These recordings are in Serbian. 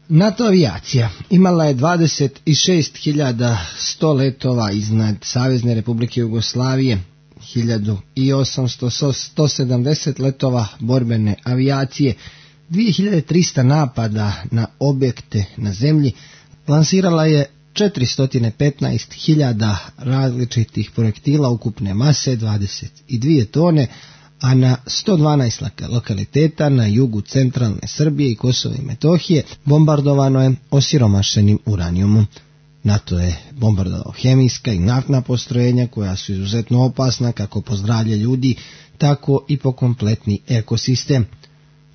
NATO avijacija imala je 26.100 letova iznad Savezne Republike Jugoslavije, 1.870 letova borbene avijacije, 2.300 napada na objekte na zemlji, lansirala je 415.000 različitih projektila ukupne mase 22 tone, a na 112 lokaliteta na jugu centralne Srbije i Kosova i Metohije bombardovano je osiromašenim uranijumom. NATO je bombardovao hemijska i naftna postrojenja koja su izuzetno opasna kako po zdravlje ljudi, tako i po kompletni ekosistem.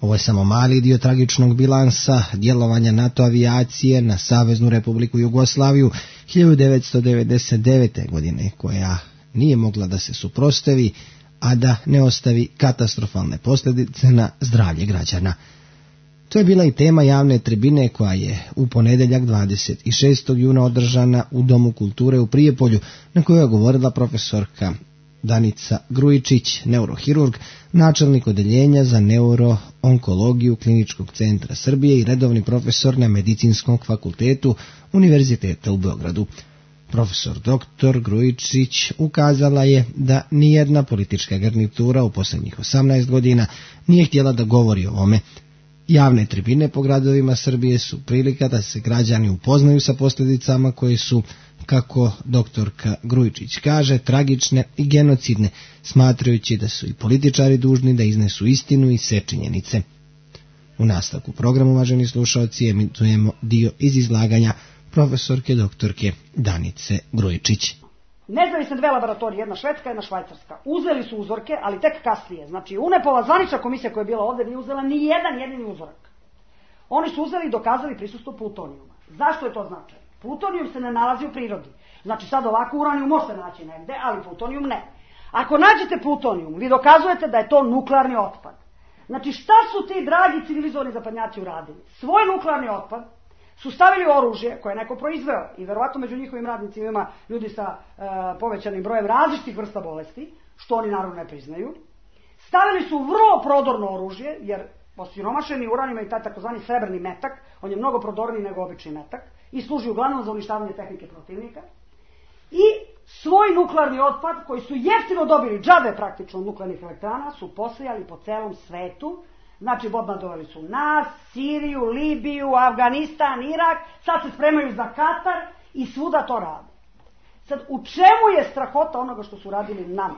Ovo je samo mali dio tragičnog bilansa djelovanja NATO avijacije na Saveznu Republiku Jugoslaviju 1999. godine, koja nije mogla da se suprotstavi, a da ne ostavi katastrofalne posljedice na zdravlje građana. To je bila i tema javne tribine koja je u ponedjeljak 26. juna održana u Domu kulture u Prijepolju, na kojoj je govorila profesorka Danica Grujičić, neurohirurg, načelnik odeljenja za neuroonkologiju Kliničkog centra Srbije i redovni profesor na Medicinskom fakultetu Univerziteta u Beogradu. Profesor dr. Grujičić ukazala je da nijedna politička garnitura u posljednjih 18 godina nije htjela da govori o ovome. Javne tribine po gradovima Srbije su prilika da se građani upoznaju sa posljedicama koje su, kako doktorka Grujičić kaže, tragične i genocidne, smatrajući da su i političari dužni da iznesu istinu i sve činjenice. U nastavku programu, uvaženi slušalci, emitujemo dio iz izlaganja profesorke doktorke Danice Grujičić. Nezavisne dve laboratorije, jedna švedska i jedna švajcarska, uzeli su uzorke, ali tek kasnije. Znači, UNEP-ova zvanična komisija koja je bila ovdje nije uzela ni jedan jedini uzorak. Oni su uzeli i dokazali prisustvo plutonijuma. Zašto je to značajno? Plutonijum se ne nalazi u prirodi. Znači, sad ovako uranijum može se naći negde, ali plutonijum ne. Ako nađete plutonijum, vi dokazujete da je to nuklearni otpad. Znači, šta su ti dragi civilizovani zapadnjaci uradili? Svoj nuklearni otpad su stavili oružje koje je neko proizveo i verovatno među njihovim radnicima ima ljudi sa povećanim brojem različitih vrsta bolesti, što oni naravno ne priznaju. Stavili su vrlo prodorno oružje, jer osiromašeni uranijum je taj takozvani srebrni metak, on je mnogo prodorniji nego obični metak i služi uglavnom za uništavanje tehnike protivnika. I svoj nuklearni otpad, koji su jeftino dobili džabe praktično od nuklearnih elektrana, su posijali po celom svetu. Znači, bombardovali su nas, Siriju, Libiju, Afganistan, Irak, sad se spremaju za Katar i svuda to rade. Sad, u čemu je strahota onoga što su radili nama?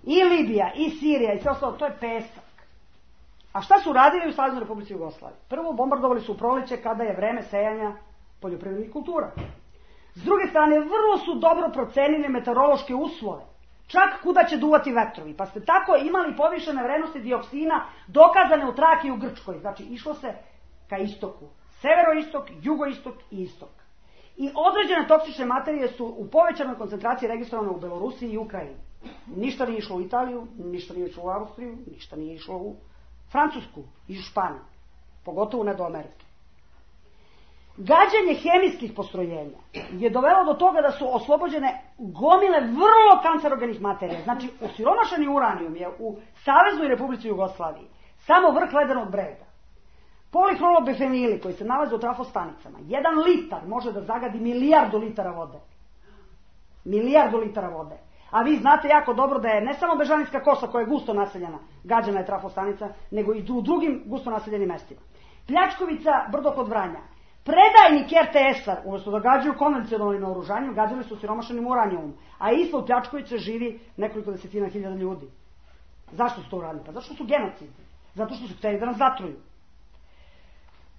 I Libija, i Sirija, i sve ostalo, to je pesak. A šta su radili u Saveznoj Republici Jugoslaviji? Prvo, bombardovali su u proleće kada je vreme sejanja poljoprivrednih kultura. S druge strane, vrlo su dobro procenili meteorološke uslove. Čak kuda će duvati vetrovi, pa ste tako imali povišene vrednosti dioksina dokazane u Traki i u Grčkoj. Znači, išlo se ka istoku. Severoistok, jugoistok i istok. I određene toksične materije su u povećanoj koncentraciji registrovane u Belorusiji i Ukrajini. Ništa nije išlo u Italiju, ništa nije išlo u Austriju, ništa nije išlo u Francusku i u Španiju. Pogotovo ne do Amerike. Gađanje hemijskih postrojenja je dovelo do toga da su oslobođene gomile vrlo kancerogenih materija. Znači, osiromašeni uranijum je u Saveznoj Republici Jugoslaviji samo vrh ledenog brega. Polihlorobifenili koji se nalaze u trafostanicama, 1 litar može da zagadi milijardu litara vode. Milijardu litara vode. A vi znate jako dobro da je ne samo Bežanijska kosa koja je gusto naseljena, gađana je trafostanica, nego i u drugim gusto naseljenim mestima. Pljačkovica, brdo kod Vranja. Predajnik RTS-a, umjesto da gađaju konvencionalnim naoružanjem, gađali su siromašenim uranijumom, a ispod Pljačkovića živi nekoliko desetina hiljada ljudi. Zašto su to uradili? Pa zašto su genocidni? Zato što su htjeli da nas zatruju.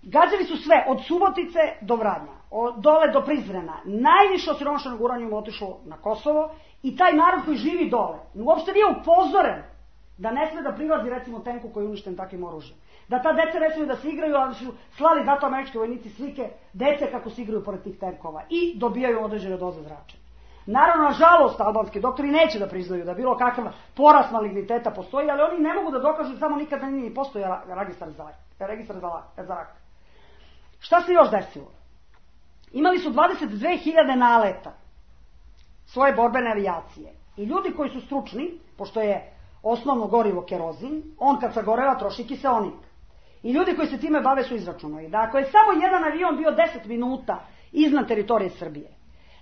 Gađali su sve, od Subotice do Vranja, dole do Prizrena. Najviše osiromašenog uranijuma otišlo na Kosovo i taj narod koji živi dole uopšte nije upozoren da ne sme da prilazi recimo tenku koji je uništen takvim oružjem. Da ta deca ne smiju da se igraju, ali su slali zato američki vojnici slike dece kako se igraju pored tih tenkova i dobijaju određene doze zračenja. Naravno, nažalost, albanski doktori neće da priznaju da bilo kakav porast maligniteta postoji, ali oni ne mogu da dokažu samo nikada nije postoja registar za rak. Šta se još desilo? Imali su 22.000 naleta svoje borbene avijacije i ljudi koji su stručni, pošto je osnovno gorivo kerozin, on kad sagoreva troši kiseonik. I ljudi koji se time bave su izračunali da ako je samo jedan avion bio 10 minuta iznad teritorije Srbije,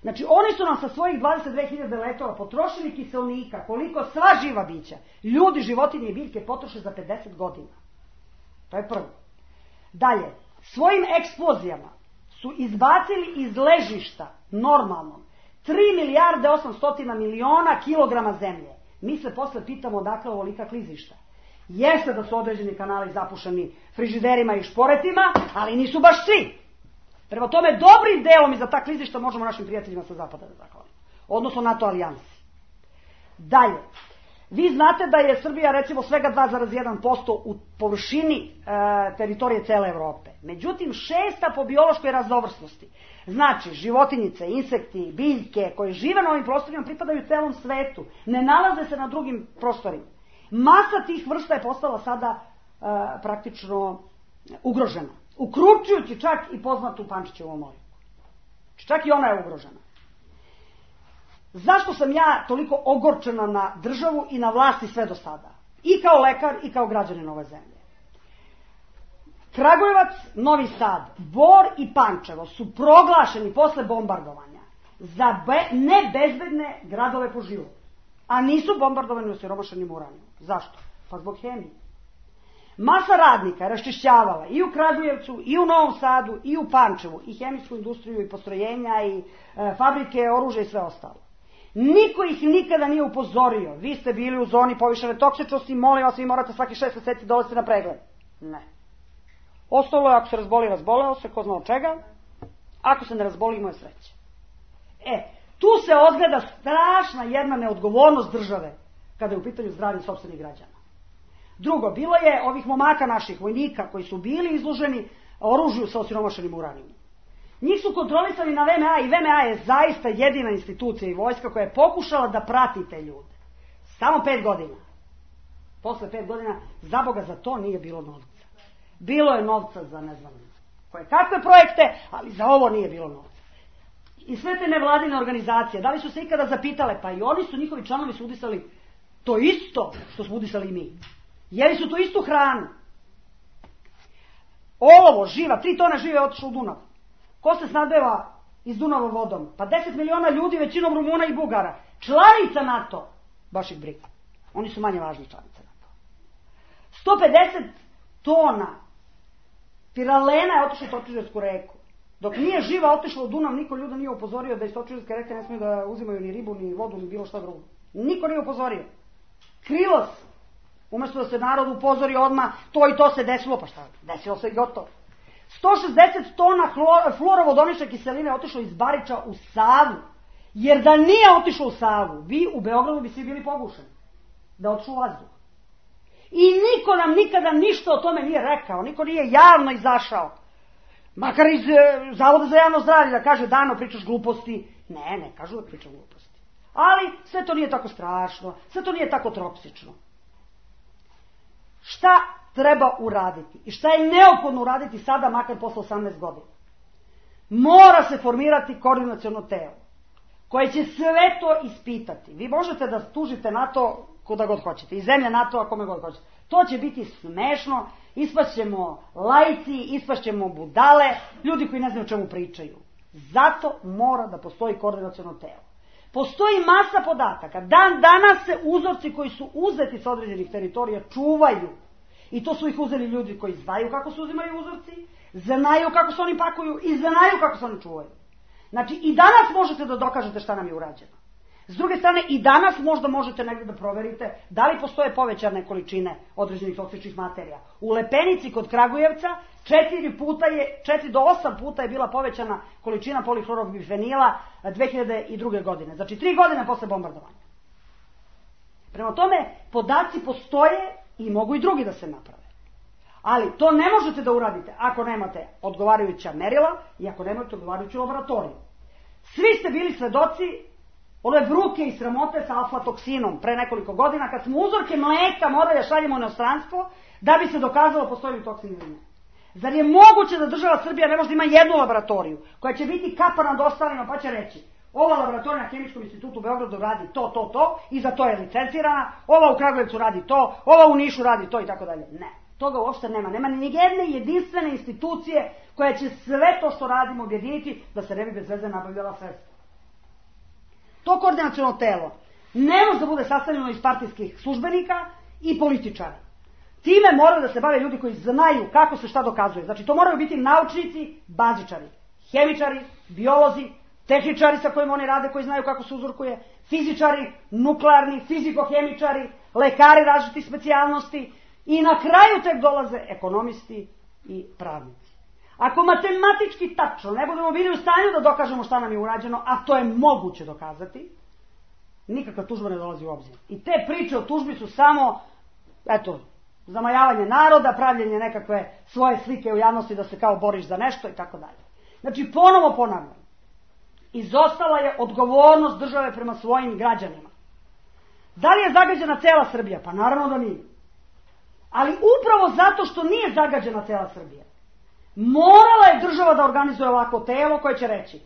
znači oni su nam sa svojih 22.000 letova potrošili kiselnika koliko sva živa bića, ljudi, životinje i biljke potroše za 50 godina. To je prvo. Dalje, svojim eksplozijama su izbacili iz ležišta normalno 3 milijarde 800 miliona kilograma zemlje. Mi se posle pitamo odakle ovolika klizišta. Jeste da su određeni kanali zapušeni frižiderima i šporetima, ali nisu baš svi. Prema tome, dobrim delom i za ta klizišta možemo našim prijateljima sa zapada da zahvalimo. Odnosno NATO alijansi. Dalje, vi znate da je Srbija recimo svega 2,1% u površini teritorije cele Evrope. Međutim, 6. po biološkoj raznovrsnosti. Znači, životinjice, insekti, biljke koje žive na ovim prostorima pripadaju celom svetu. Ne nalaze se na drugim prostorima. Masa tih vrsta je postala sada praktično ugrožena. Uključujući čak i poznatu Pančićevu Moriku. Čak i ona je ugrožena. Zašto sam ja toliko ogorčena na državu i na vlasti sve do sada? I kao lekar i kao građanin ove zemlje. Kragujevac, Novi Sad, Bor i Pančevo su proglašeni posle bombardovanja za nebezbedne gradove po životu. A nisu bombardovani osiromašenim uranijom. Zašto? Pa zbog hemije. Masa radnika je raščišćavala i u Kragujevcu, i u Novom Sadu, i u Pančevu, i hemijsku industriju, i postrojenja, i fabrike, oružja i sve ostalo. Niko ih nikada nije upozorio. Vi ste bili u zoni povišene toksičnosti, molim vas, vi morate svaki 6 meseci dolaziti na pregled. Ne. Ostalo je, ako se razboli, razboleo se, ko zna od čega. Ako se ne razboli, imao je sreće. Tu se odgleda strašna jedna neodgovornost države kada je u pitanju zdravlje sopstvenih građana. Drugo, bilo je ovih momaka naših vojnika koji su bili izloženi oružju sa osiromašenim uranijom. Njih su kontrolisali na VMA i VMA je zaista jedina institucija i vojska koja je pokušala da prati te ljude. Samo 5 godina. Posle 5 godina, za Boga, za to nije bilo novca. Bilo je novca za ne znam koje kakve projekte, ali za ovo nije bilo novca. I sve te nevladine organizacije, da li su se ikada zapitale, pa i oni su, njihovi članovi su udisali to isto što smo udisali i mi. Jeli su tu istu hranu. Olovo, živa, 3 tone žive je otišlo u Dunav. Ko se snadbeva iz Dunava vodom? Pa 10 miliona ljudi, većinom Rumuna i Bugara. Članica NATO. Baš ih briga. Oni su manje važni članice NATO. 150 tona piralena je otišlo u Točižersku reku. Dok nije živa otišla u Dunav, niko ljuda nije upozorio da iz Točižerske reke ne smiju da uzimaju ni ribu, ni vodu, ni bilo šta drugo. Niko nije upozorio. Krilo se. Umesto da se narod upozori odmah, to i to se desilo, pa šta? Desilo se i gotovo. 160 tona fluorovodonične kiseline je otišlo iz Bariča u Savu. Jer da nije otišlo u Savu, vi u Beogradu bi svi bili pogušeni. Da otišlo u vazduh. I niko nam nikada ništa o tome nije rekao, niko nije javno izašao. Makar iz Zavoda za javno zdravlje da kaže Dano pričaš gluposti. Ne, kažu da pričam gluposti. Ali sve to nije tako strašno, sve to nije tako toksično. Šta treba uraditi i šta je neophodno uraditi sada, makar posle 18 godina? Mora se formirati koordinaciono telo koje će sve to ispitati. Vi možete da tužite NATO kuda god hoćete i zemlje NATO-a kome god hoćete. To će biti smešno, ispašćemo laici, ispašćemo budale, ljudi koji ne znaju o čemu pričaju. Zato mora da postoji koordinaciono telo. Postoji masa podataka. Dan danas se uzorci koji su uzeti sa određenih teritorija čuvaju. I to su ih uzeli ljudi koji znaju kako se uzimaju uzorci, znaju kako se oni pakuju i znaju kako se oni čuvaju. Znači i danas možete da dokažete šta nam je urađeno. S druge strane i danas možda možete negdje da proverite da li postoje povećane količine određenih toksičnih materija. U Lepenici kod Kragujevca 4 do 8 puta je bila povećana količina polihlorobifenila 2002. godine. Znači 3 godine posle bombardovanja. Prema tome, podaci postoje i mogu i drugi da se naprave. Ali to ne možete da uradite ako nemate odgovarajuća merila i ako nemate odgovarajuću laboratoriju. Svi ste bili svedoci ove bruke i sramote sa aflatoksinom pre nekoliko godina kad smo uzorke mleka morali da šaljemo u inostranstvo da bi se dokazalo postoji li toksin ili ne. Zar je moguće da država Srbija ne može da ima jednu laboratoriju koja će biti kapa nad ostalima pa će reći ova laboratorija na Hemijskom institutu u Beogradu radi to i za to je licencirana, ova u Kragujevcu radi to, ova u Nišu radi to i tako dalje. Ne. Toga uopšte nema. Nema ni jedne jedinstvene institucije koja će sve to što radimo objediniti da se ne bi bez veze nabavljala sredstva. To koordinaciono telo ne može da bude sastavljeno iz partijskih službenika i političara. Time moraju da se bave ljudi koji znaju kako se šta dokazuje. Znači to moraju biti naučnici, bazičari, hemičari, biolozi, tehničari sa kojima oni rade, koji znaju kako se uzorkuje, fizičari, nuklearni, fizikohemičari, lekari različitih specijalnosti i na kraju tek dolaze ekonomisti i pravnici. Ako matematički tačno ne budemo bili u stanju da dokažemo šta nam je urađeno, a to je moguće dokazati, nikakva tužba ne dolazi u obzir. I te priče o tužbi su samo, zamajavanje naroda, pravljenje nekakve svoje slike u javnosti da se kao boriš za nešto i tako dalje. Znači, ponovo ponavljam, izostala je odgovornost države prema svojim građanima. Da li je zagađena cela Srbija? Pa naravno da nije. Ali upravo zato što nije zagađena cela Srbija, morala je država da organizuje ovako telo koje će reći: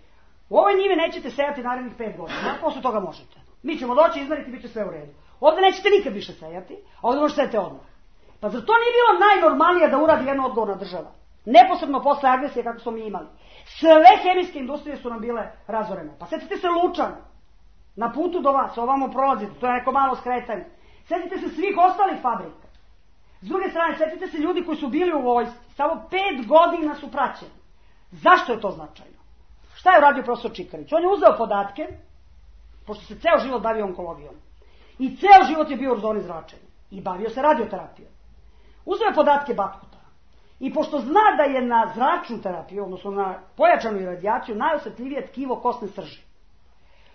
u ovoj njivi nećete sejati narednih 5 godina, posle toga možete. Mi ćemo doći, izmeriti, bit će sve u redu. Ovde nećete nikad više sejati, a ovde možete sejati odmah. Pa zar to nije bilo najnormalnije da uradi jedna odgovorna država? Neposredno posle agresije kako smo mi imali. Sve hemijske industrije su nam bile razorene. Pa setite se Lučana. Na putu do vas, ovamo prolazite, to je neko malo skretanje. Setite se svih ostalih fabrika. S druge strane, setite se ljudi koji su bili u vojsci. Samo 5 godina su praćeni. Zašto je to značajno? Šta je uradio profesor Čikarić? On je uzeo podatke, pošto se ceo život bavio onkologijom. I ceo život je bio u zoni zračenja. I bavio se radioterapijom. Uzeo je podatke Batuta. I pošto zna da je na zračnu terapiju, odnosno na pojačanu radijaciju, najosetljivije tkivo kosne srži.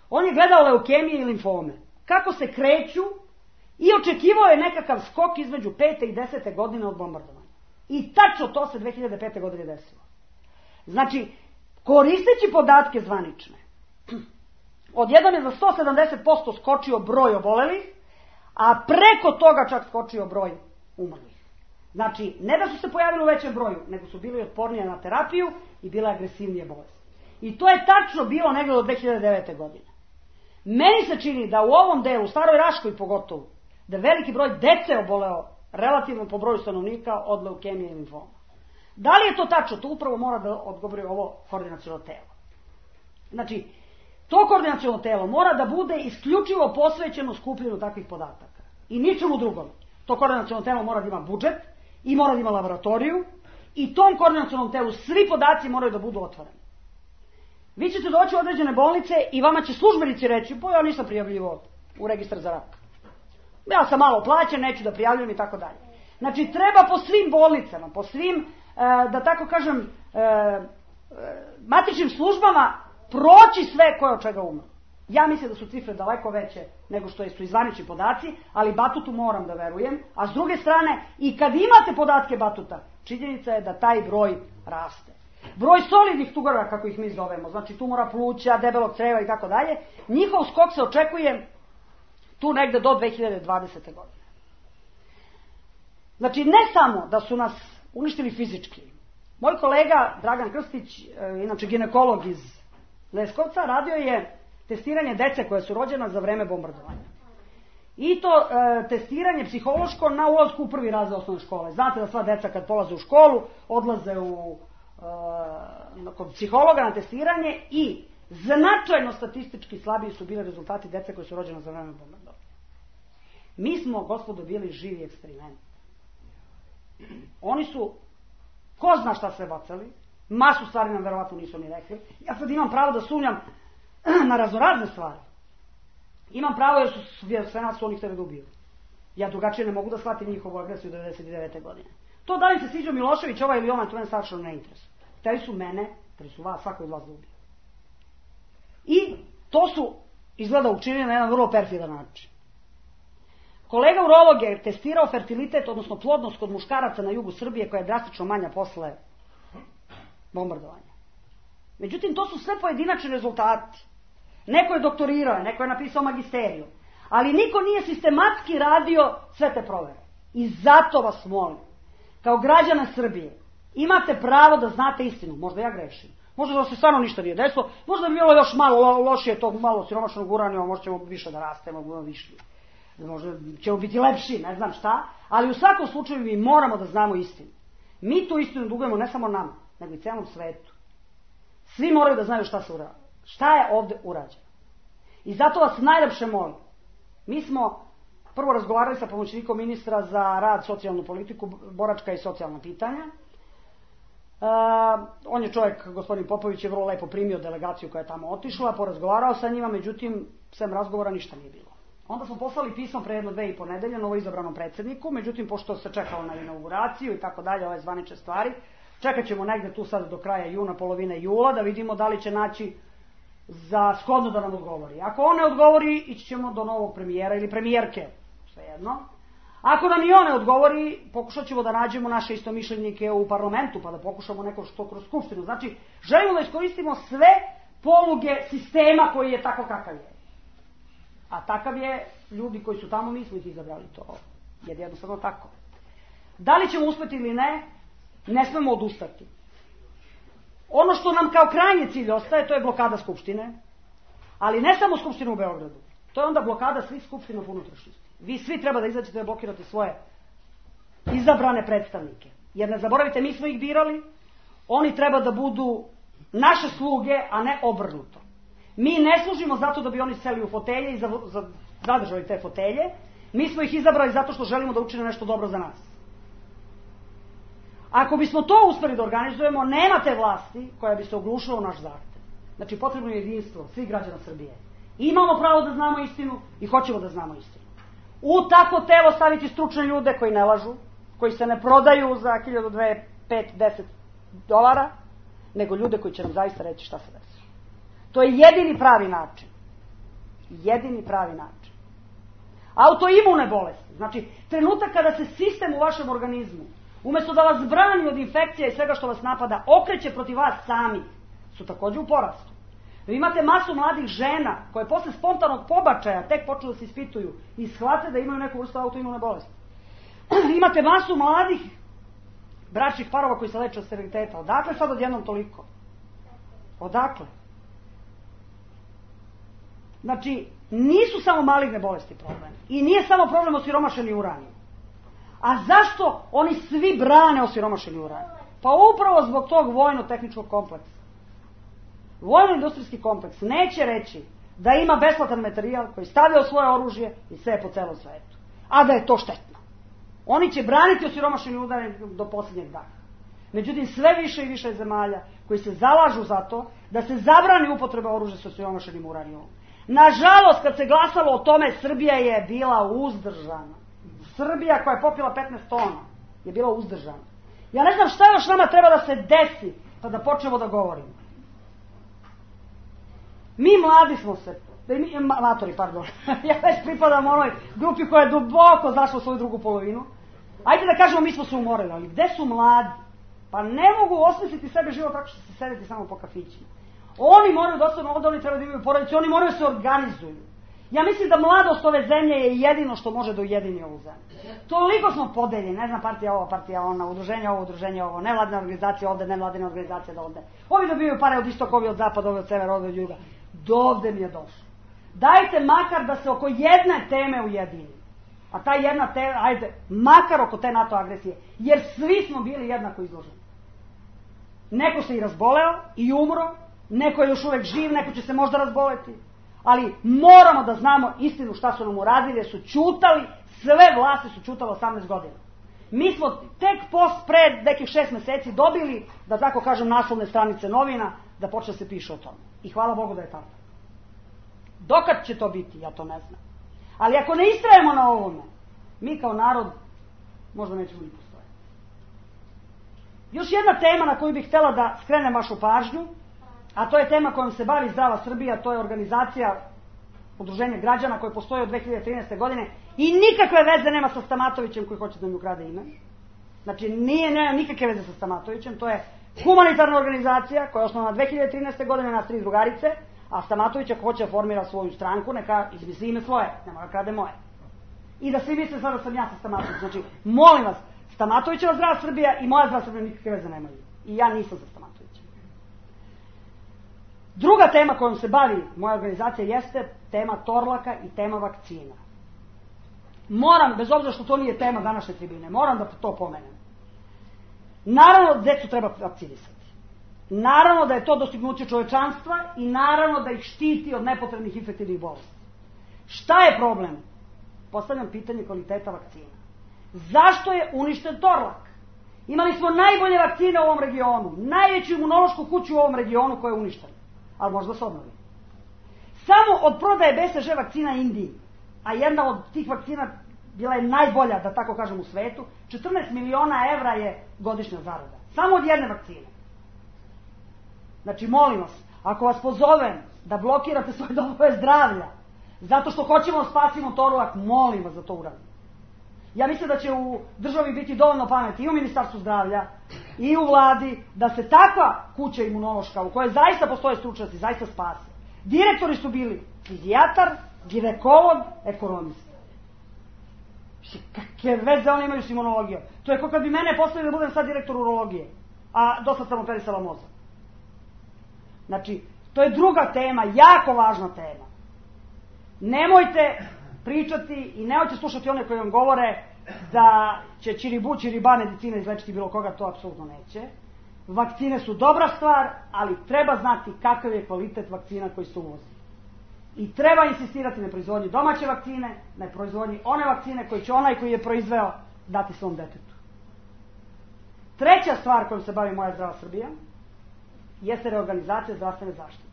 On je gledao leukemije i limfome. Kako se kreću i očekivao je nekakav skok između 5. i 10. godine od bombardovanja. I tačno to se 2005. godine desilo. Znači, koristeći podatke zvanične, odjednom je za 170% skočio broj obolelih, a preko toga čak skočio broj umrlih. Znači, ne da su se pojavili u većem broju, nego su bili otpornije na terapiju i bile agresivnije bolesti. I to je tačno bilo negdje do 2009. godine. Meni se čini da u ovom delu, u Staroj Raškoj pogotovo, da veliki broj dece oboleo relativno po broju stanovnika od leukemije i limfoma. Da li je to tačno? To upravo mora da odgovori ovo koordinaciono telo. Znači, to koordinaciono telo mora da bude isključivo posvećeno skupljenju takvih podataka. I ničemu drugom. To koordinaciono telo mora da ima budžet i mora da ima laboratoriju i tom koordinacionom telu svi podaci moraju da budu otvoreni. Vi ćete doći u određene bolnice i vama će službenici reći: pa ja nisam prijavljivao u registar za rak. Ja sam malo plaćen, neću da prijavljujem i tako dalje. Znači, treba po svim bolnicama, po svim, da tako kažem, matičnim službama proći sve koje od čega umre. Ja mislim da su cifre daleko veće nego što su zvanični podaci, ali Batutu moram da verujem. A s druge strane, i kad imate podatke Batuta, činjenica je da taj broj raste. Broj solidnih tumora, kako ih mi zovemo, znači tumora pluća, debelog creva i tako dalje, njihov skok se očekuje tu negde do 2020. godine. Znači, ne samo da su nas uništili fizički. Moj kolega Dragan Krstić, inače ginekolog iz Leskovca, radio je testiranje dece koje su rođena za vreme bombardovanja. I to testiranje psihološko na ulazku u prvi razred osnovne škole. Znate da sva deca kad polaze u školu odlaze kod psihologa na testiranje i značajno statistički slabiji su bili rezultati dece koje su rođena za vreme bombardovanja. Mi smo, gospodo, bili živi eksperiment. Oni su, ko zna šta sve bacali, masu stvari nam verovatno nisu ni rekli. Ja sad imam pravo da sumnjam na raznorazne stvari. Imam pravo jer su sve nas oni hteli da ubiju. Ja drugačije ne mogu da shvatim njihovu agresiju 1999. godine. To da li se sviđao Milošević, ovaj ili onaj, to mene savršeno ne interesuje. Hteli su mene, hteli su vas, svako od vas da ubiju. I to su izgleda učinili na jedan vrlo perfidan način. Kolega urolog je testirao fertilitet, odnosno plodnost kod muškaraca na jugu Srbije, koja je drastično manja posle bombardovanja. Međutim, to su sve pojedinačni rezultati. Neko je doktorirao, neko je napisao magisteriju, ali niko nije sistematski radio sve te provere. I zato vas molim, kao građana Srbije, imate pravo da znate istinu. Možda ja grešim. Možda da se stvarno ništa nije desilo. Možda bi bilo još malo lošije tog malo siromašnog uranijuma, možda ćemo više da rastemo, više. možda ćemo biti lepši, ne znam šta, ali u svakom slučaju mi moramo da znamo istinu. Mi tu istinu dugujemo ne samo nama, nego i celom svetu. Svi moraju da znaju šta se urađa. Šta je ovde urađeno. I zato vas najlepše molim. Mi smo prvo razgovarali sa pomoćnikom ministra za rad, socijalnu politiku, boračka i socijalna pitanja. On je čovjek, gospodin Popović, je vrlo lepo primio delegaciju koja je tamo otišla, porazgovarao sa njima, međutim, sem razgovora ništa nije bilo. Onda smo poslali pismo pre 1-2,5 nedelje novoizabranom predsjedniku, međutim, pošto se čekalo na inauguraciju i tako dalje, ove zvanične stvari, čekat ćemo negde tu sad do kraja juna, polovine jula, da vidimo da li će naći za shodno da nam odgovori. Ako on ne odgovori, ići ćemo do novog premijera ili premijerke, svejedno. Ako nam i on ne odgovori, pokušat ćemo da nađemo naše istomišljenike u parlamentu, pa da pokušamo neko što kroz skupštinu. Znači, želimo da iskoristimo sve poluge sistema koji je tako kakav je. A takav je, ljudi koji su tamo, mi smo ih izabrali, to je jednostavno tako. Da li ćemo uspeti ili ne, ne smemo odustati. Ono što nam kao krajnji cilj ostaje, to je blokada Skupštine, ali ne samo Skupštine u Beogradu. To je onda blokada svih skupština u unutrašnjosti. Vi svi treba da izađete da blokirate svoje izabrane predstavnike. Jer ne zaboravite, mi smo ih birali, oni treba da budu naše sluge, a ne obrnuto. Mi ne služimo zato da bi oni seli u fotelje i zadržali te fotelje. Mi smo ih izabrali zato što želimo da učine nešto dobro za nas. Ako bismo to uspeli da organizujemo, nema te vlasti koja bi se oglušila u naš zahtev. Znači, potrebno je jedinstvo svih građana Srbije. Imamo pravo da znamo istinu i hoćemo da znamo istinu. U tako telo staviti stručne ljude koji ne lažu, koji se ne prodaju za 1000, 2, 5, 10 dolara, nego ljude koji će nam zaista reći šta se desi. To je jedini pravi način. Jedini pravi način. Autoimune bolesti, znači trenutak kada se sistem u vašem organizmu, umjesto da vas brani od infekcija i svega što vas napada, okreće protiv vas sami, su također u porastu. Vi imate masu mladih žena koje posle spontanog pobačaja tek počnu da se ispituju i shvate da imaju neku vrstu autoimune bolesti. Imate masu mladih bračnih parova koji se leče od steriliteta. Odakle sad odjednom toliko? Odakle? Znači, nisu samo maligne bolesti problem. I nije samo problem osiromašeni uranijum. A zašto oni svi brane osiromašeni uranijum? Pa upravo zbog tog vojno-tehničkog kompleksa. Vojno-industrijski kompleks neće reći da ima besplatan materijal koji stavlja u svoje oružje i sve po celom svetu. A da je to štetno. Oni će braniti osiromašeni uranijum do posljednjeg dana. Međutim, sve više i više zemalja koji se zalažu za to da se zabrani upotreba oružja sa osiromašenim uranijumom. Nažalost, kad se glasalo o tome, Srbija je bila uzdržana. Srbija koja je popila 15 tona je bila uzdržana. Ja ne znam šta još nama treba da se desi pa da počnemo da govorimo. Mi mladi smo se, matori, pardon, ja već pripadam onoj grupi koja je duboko zašla u svoju drugu polovinu. Ajde da kažemo mi smo se umorili, ali gde su mladi? Pa ne mogu osmisliti sebe život tako što se sedeti samo po kafićima. Oni moraju da ostanu ovdje, oni treba da imaju porodice, oni moraju da se organizuju. Ja mislim da mladost ove zemlje je jedino što može da ujedini ovu zemlju. Toliko smo podeljeni, ne znam, partija ovo, partija ona, udruženje ovo, nevladne organizacije ovde, nevladine organizacije ovde. Ovi dobivaju pare od istoka, ovi od zapada, ovi od severa, ovi od juga. Dovde mi je došlo. Dajte makar da se oko jedne teme ujedini. A ta jedna tema, ajde, makar oko te NATO agresije. Jer svi smo bili jednako izloženi. Neko se i razboleo i umro, neko je još uvek živ, neko će se možda razboleti. Ali moramo da znamo istinu šta su nam uradili, jer su ćutali, sve vlasti su ćutale 18 godina. Mi smo tek pred nekih 6 meseci dobili, da tako kažem, naslovne stranice novina, da počne se piše o tome. I hvala Bogu da je tako. Dokad će to biti, ja to ne znam. Ali ako ne istrajemo na ovome, mi kao narod možda nećemo ni postojati. Još jedna tema na koju bih htjela da skrenem vašu pažnju, a to je tema kojom se bavi Zdrava Srbija, to je organizacija udruženja građana koje postoji od 2013. godine i nikakve veze nema sa Stamatovićem koji hoće da mi ukrade ime. Znači, nema nikakve veze sa Stamatovićem, to je humanitarna organizacija koja je osnovana 2013. godine, nas 3 drugarice, a Stamatović ako hoće da formira svoju stranku, neka izmisli ime svoje, nema da krade moje. I da svi misle sada sam ja sa Stamatovićem. Znači, molim vas, Stamatovićeva Zdrava Srbija i moja Zdrava Srbija nikakve veze nemaju. I ja nisam za Stamatovićem. Druga tema kojom se bavi moja organizacija jeste tema Torlaka i tema vakcina. moram, bez obzira što to nije tema današnje tribine, moram da to pomenem. Naravno, decu treba vakcinisati. Naravno da je to dostignuće čovečanstva i naravno da ih štiti od nepotrebnih infektivnih bolesti. Šta je problem? Postavljam pitanje kvaliteta vakcina. Zašto je uništen Torlak? Imali smo najbolje vakcine u ovom regionu, najveću imunološku kuću u ovom regionu koja je uništena, ali možda se obnovi. Samo od prodaje BCG vakcina Indiji, a jedna od tih vakcina bila je najbolja, da tako kažem, u svetu, 14 miliona evra je godišnja zarada. Samo od jedne vakcine. Znači, molim vas, ako vas pozovem da blokirate svoje domove zdravlja, zato što hoćemo da spasimo Torlak, molim vas da to uradimo. Ja mislim da će u državi biti dovoljno pameti i u Ministarstvu zdravlja i u vladi da se takva kuća imunološka u kojoj zaista postoje stručnjaci zaista spase. Direktori su bili fizijatar, ginekolog, ekonomista. Kakve veze oni imaju s imunologijom? To je kao kad bi mene postavili da budem sad direktor urologije, a dosta sam operisala mozak. Znači, to je druga tema, jako važna tema. Nemojte pričati i nemojte slušati one koji vam govore da će čiriba medicina izlečiti bilo koga, to apsolutno neće. Vakcine su dobra stvar, ali treba znati kakav je kvalitet vakcina koji se uvozi. I treba insistirati na proizvodnji domaće vakcine, na proizvodnji one vakcine koji će onaj koji je proizveo dati svom detetu. Treća stvar kojom se bavi Moja zdrava Srbija jeste reorganizacija zdravstvene zaštite.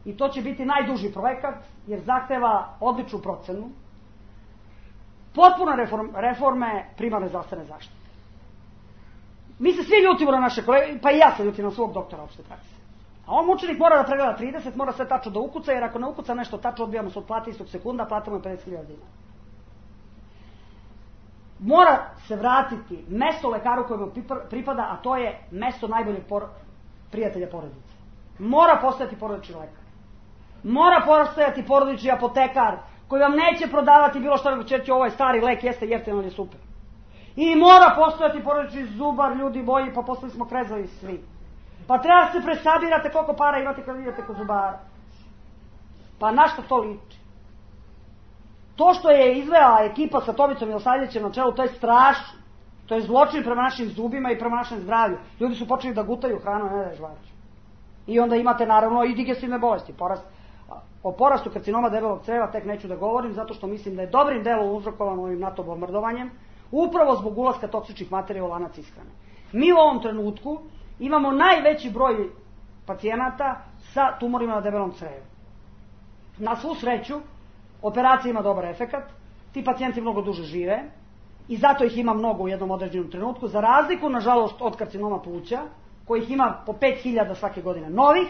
I to će biti najduži projekat jer zahteva odličnu procenu, potpuno reforme primarne zdravstvene zaštite. Mi se svi ljutimo na naše kolege, pa i ja se ljutim na svog doktora opšte prakse. A on mučenik mora da pregleda 30, mora sve tačno da ukuca, jer ako ne ukuca nešto tačno, odbijamo se od plate istog sekunda, platamo je 50.000 dinara. Mora se vratiti mesto lekaru kojemu pripada, a to je mesto najboljeg prijatelja porodice. Mora postojati porodični lekar. Mora postojati porodični apotekar koji vam neće prodavati bilo što, nego će ovo je stari lek, jeste jeftin, on je super. I mora postojati porodični zubar, ljudi moji, pa postali smo krezovi svi. Pa treba da se presabirate koliko para imate kad idete kod zubara. Pa na što to liči? To što je izvela ekipa sa Tomicom Milosavljevićem na čelu, to je strašno. To je zločin prema našim zubima i prema našem zdravlju. Ljudi su počeli da gutaju hranu, ne da je žvaču. I onda imate naravno i digestivne bolesti. O porastu karcinoma debelog creva tek neću da govorim, zato što mislim da je dobrim delom uzrokovano ovim NATO bombardovanjem, upravo zbog ulaska toksičnih materija u lanac ishrane. Mi u ovom trenutku imamo najveći broj pacijenata sa tumorima na debelom crevu. Na svu sreću, operacija ima dobar efekat, ti pacijenti mnogo duže žive i zato ih ima mnogo u jednom određenom trenutku, za razliku, nažalost, od karcinoma pluća, kojih ima po 5000 svake godine novih,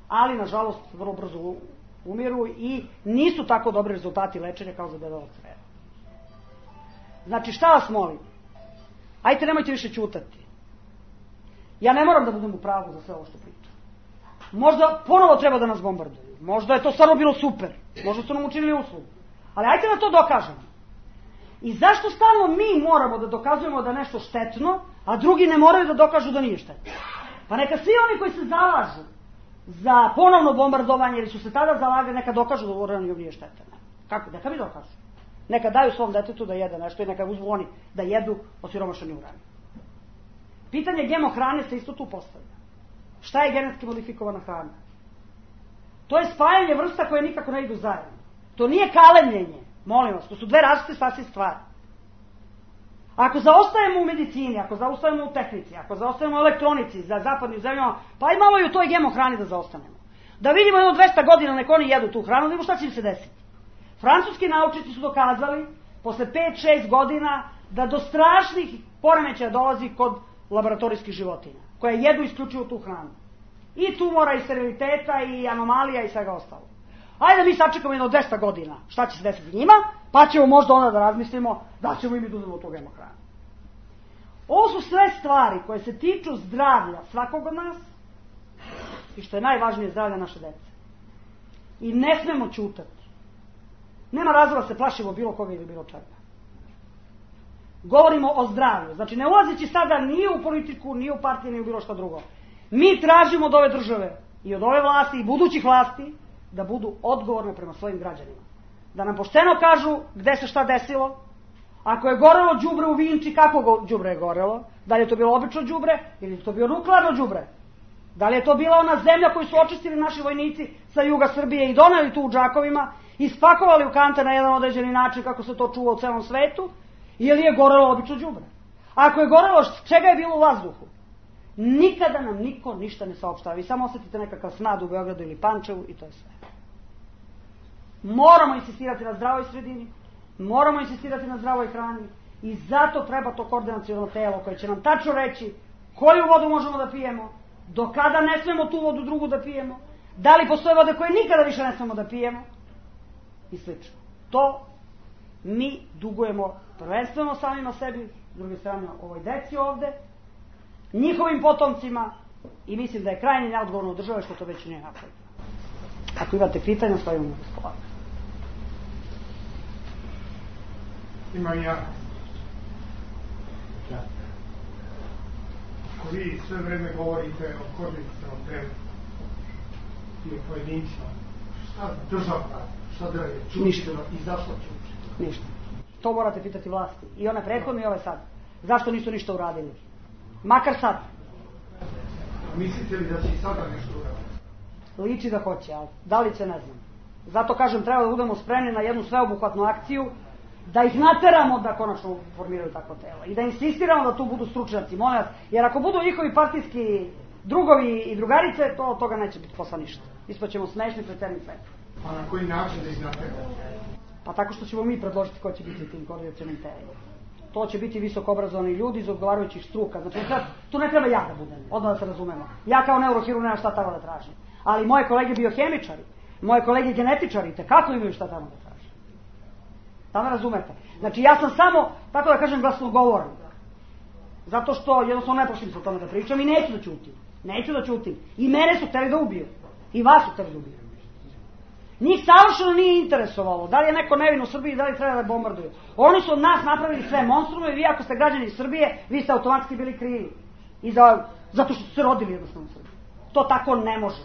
ali, nažalost, vrlo brzo umiru i nisu tako dobri rezultati lečenja kao za debelog creva. Znači, šta vas molim? Ajte, nemojte više ćutati. Ja ne moram da budem u pravu za sve ovo što pričam. Možda ponovo treba da nas bombarduju. Možda je to stvarno bilo super. Možda su nam učinili uslugu. Ali ajte da to dokažemo. I zašto stalno mi moramo da dokazujemo da je nešto štetno, a drugi ne moraju da dokažu da nije štetno? Pa neka svi oni koji se zalažu za ponovno bombardovanje ili su se tada zalagali, neka dokažu da uranijum nije štetan. Kako? Neka mi dokažu. Neka daju svom detetu da jede nešto i neka uzmu oni da jedu osiromašeni uranijum. Pitanje GMO hrane se isto tu postavlja. Šta je genetski modifikovana hrana? To je spajanje vrsta koje nikako ne idu zajedno. To nije kalemljenje, molim vas, to su dve različite sasvim stvari. Ako zaostajemo u medicini, ako zaostajemo u tehnici, ako zaostajemo u elektronici za zapadnim zemljama, pa i malo i u toj GMO hrani da zaostanemo. Da vidimo jedno 200 godina nek oni jedu tu hranu, da vidimo šta će im se desiti. Francuski naučnici su dokazali, posle 5-6 godina, da do strašnih poremećaja dolazi kod laboratorijskih životinja, koje jedu isključivo tu hranu. I tumora, i steriliteta, i anomalija, i svega ostalo. Ajde mi sačekamo jedno 200 godina, šta će se desiti njima, pa ćemo možda onda da razmislimo da ćemo i mi uzmemo tog GMO hranu. Ovo su sve stvari koje se tiču zdravlja svakog od nas i što je najvažnije zdravlja naše dece. I ne smemo ćutati. Nema razloga da se plašimo bilo koga ili bilo čega. Govorimo o zdravlju. Znači ne ulazeći sada ni u politiku, ni u partije, ni u bilo što drugo. Mi tražimo od ove države i od ove vlasti i budućih vlasti da budu odgovorne prema svojim građanima. da nam pošteno kažu gde se šta desilo. Ako je gorelo đubre u Vinči, kako đubre je gorelo? Da li je to bilo obično đubre ili je to bio nuklearno đubre? Da li je to bila ona zemlja koju su očistili naši vojnici sa juga Srbije i doneli tu u džakovima i spakovali u kante na jedan određeni način kako se to čuva u celom svetu? Ili je gorelo obično đubre? Ako je gorelo, čega je bilo u vazduhu? Nikada nam niko ništa ne saopštava. Vi samo osetite nekakav smrad u Beogradu ili Pančevu i to je sve. Moramo insistirati na zdravoj sredini, moramo insistirati na zdravoj hrani i zato treba to koordinaciono telo koje će nam tačno reći koju vodu možemo da pijemo, do kada ne smemo tu vodu drugu da pijemo, da li postoje vode koje nikada više ne smemo da pijemo i slično. To mi dugujemo prvenstveno samima sebi, s druge strane ovoj deci ovde, njihovim potomcima i mislim da je krajnje neodgovorno od države što to već nije napravljeno. Ako imate pitanja, stavimo na raspolaganje. Imam ja. Ako vi sve vreme govorite o koordinacionom telu i o pojedincima, šta država radi? Šta država čučila i zašto čučila? Ništa. To morate pitati vlasti. I one prethodne i ove sad. Zašto nisu ništa uradili? Makar sad. Mislite li da će i sada nešto uraditi? Liči da hoće, ali da li će, ne znam. Zato kažem, treba da budemo spremni na jednu sveobuhvatnu akciju, da ih nateramo da konačno formiraju takvo telo i da insistiramo da tu budu stručnjaci, molim vas, jer ako budu njihovi partijski drugovi i drugarice, to od toga neće biti posla ništa. Ispaćemo smešni pred celim svetom. A na koji način da ih nateramo? Pa tako što ćemo mi predložiti ko će biti tim koordinacionim telima. To će biti visoko obrazovani ljudi iz odgovarajućih struka. Znači, tu ne treba ja da budem, odmah da se razumemo. Ja kao neurohirurg nemam šta tamo da tražim. Ali moje kolege biohemičari, moje kolege genetičari, kako imaju šta tamo da tražim. Da me razumete. Znači, ja sam samo, tako da kažem, glasnogovornik. Zato što jednostavno ne pošlim se o tome da pričam i neću da ćutim. Neću da ćutim. I mene su hteli da ubiju. I vas su hteli da ubiju. Njih savršeno nije interesovalo da li je neko nevin u Srbiji, da li treba da bombarduju. Oni su od nas napravili sve monstrume i vi ako ste građani Srbije, vi ste automatski bili krivi. Zato što su se rodili jednostavno u Srbiji. To tako ne može.